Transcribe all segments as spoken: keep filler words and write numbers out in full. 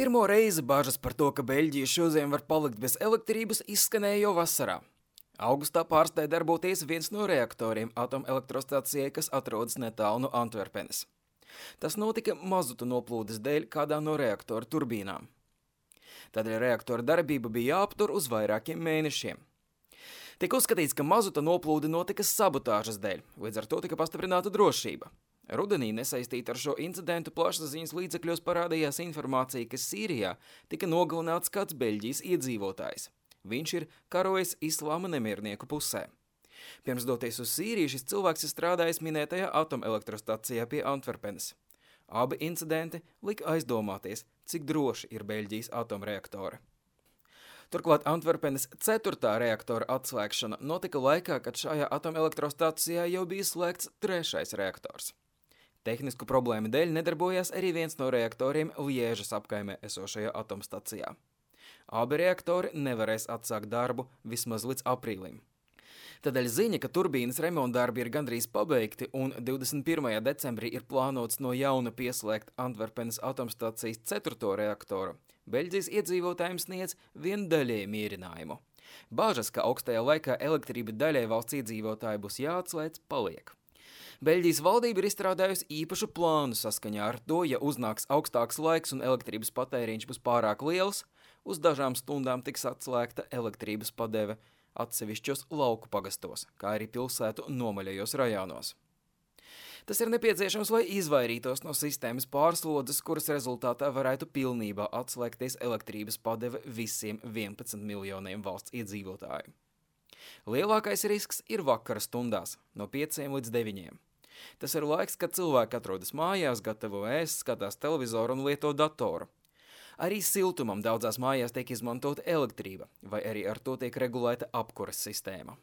Pirmo reizi bažas par to, ka Beļģija šodien var palikt bez elektrības, izskanēja jau vasarā. Augustā pārstāja darboties viens no reaktoriem atomelektrostacijai, kas atrodas netālu no Antverpenes. Tas notika mazuta noplūdes dēļ kādā no reaktora turbīnām. Tādēļ reaktora darbība bija jāaptur uz vairākiem mēnešiem. Tika uzskatīts, ka mazuta noplūde notika sabotāžas dēļ, līdz ar to tika pastiprināta drošība. Rudenī nesaistīta ar šo incidentu plašsaziņas līdzekļos parādījās informācija, ka Sīrijā tika nogalināts kāds Beļģijas iedzīvotājs. Viņš ir karojis islāma nemiernieku pusē. Pirms doties uz Sīriju, šis cilvēks ir strādājis minētajā atomelektrostacijā pie Antverpenes. Abi incidenti lika aizdomāties, cik droši ir Beļģijas atomreaktori. Turklāt Antverpenes ceturtā reaktora atslēgšana notika laikā, kad šajā atomelektrostacijā jau bija slēgts trešais reaktors. Tehnisku problēmu dēļ nedarbojās arī viens no reaktoriem Liežas apkaimē esošajā atomstacijā. Abi reaktori nevarēs atsākt darbu vismaz līdz aprīlim. Tādēļ ziņa, ka turbīnas remontdarbi ir gandrīz pabeigti un divdesmit pirmajā decembrī ir plānots no jauna pieslēgt Antverpenes atomstacijas ceturto reaktoru, Beļģijas iedzīvotājiem sniedz vien daļēju mierinājumu. Bāžas, ka augstajā laikā elektrība daļai valsts iedzīvotāji būs jāatslēdz, paliek. Beļģijas valdība ir izstrādājusi īpašu plānu saskaņā ar to, ja uznāks augstāks laiks un elektrības patēriņš būs pārāk liels, uz dažām stundām tiks atslēgta elektrības padeve atsevišķos lauku pagastos, kā arī pilsētu nomaļajos rajonos. Tas ir nepieciešams, lai izvairītos no sistēmas pārslodzes, kuras rezultātā varētu pilnībā atslēgties elektrības padeve visiem vienpadsmit miljoniem valsts iedzīvotāju. Lielākais risks ir vakara stundās, no pieciem līdz deviņiem. Tas ir laiks, kad cilvēki atrodas mājās, gatavo ēst, skatās televizoru un lieto datoru. Arī siltumam daudzās mājās tiek izmantota elektrība, vai arī ar to tiek regulēta apkures sistēma.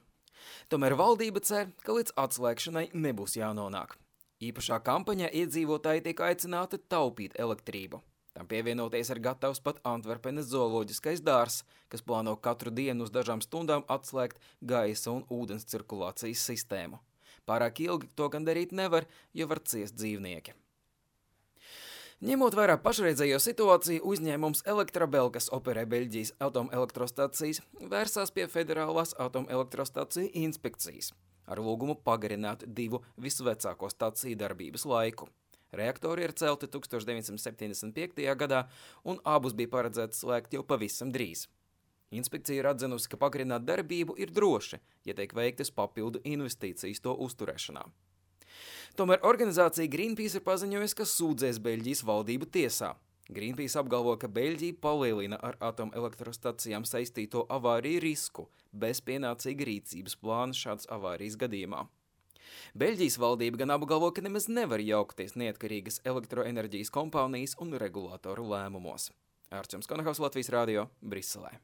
Tomēr valdība cer, ka līdz atslēgšanai nebūs jānonāk. Īpašā kampaņā iedzīvotāji tiek aicināti taupīt elektrību. Tam pievienoties ir gatavs pat Antverpenes zooloģiskais dārzs, kas plāno katru dienu uz dažām stundām atslēgt gaisa un ūdens cirkulācijas sistēmu. Pārāk ilgi to gan darīt nevar, jo var ciest dzīvnieki. Ņemot vērā pašreizējo situāciju, uzņēmums Elektrabel, kas operē Beļģijas atomelektrostacijas, vērsās pie Federālās atomelektrostaciju inspekcijas ar lūgumu pagarināt divu visvecāko staciju darbības laiku. Reaktori ir celti tūkstoš deviņsimt septiņdesmit piektajā gadā, un abus bija paredzēts slēgt jau pavisam drīz. Inspekcija ir atzinusi, ka pagarināt darbību ir droši, ja tiek veiktas papildu investīcijas to uzturēšanā. Tomēr organizācija Greenpeace ir paziņojusi, ka sūdzēs Beļģijas valdību tiesā. Greenpeace apgalvo, ka Beļģija palielina ar atomelektrostacijām saistīto avāriju risku bez pienācīga rīcības plāna šādas avārijas gadījumā. Beļģijas valdība gan apgalvo, ka nemaz nevar jaukties neatkarīgas elektroenerģijas kompānijas un regulātoru lēmumos. Ārčuns Konahaus, Latvijas radio, Briselē.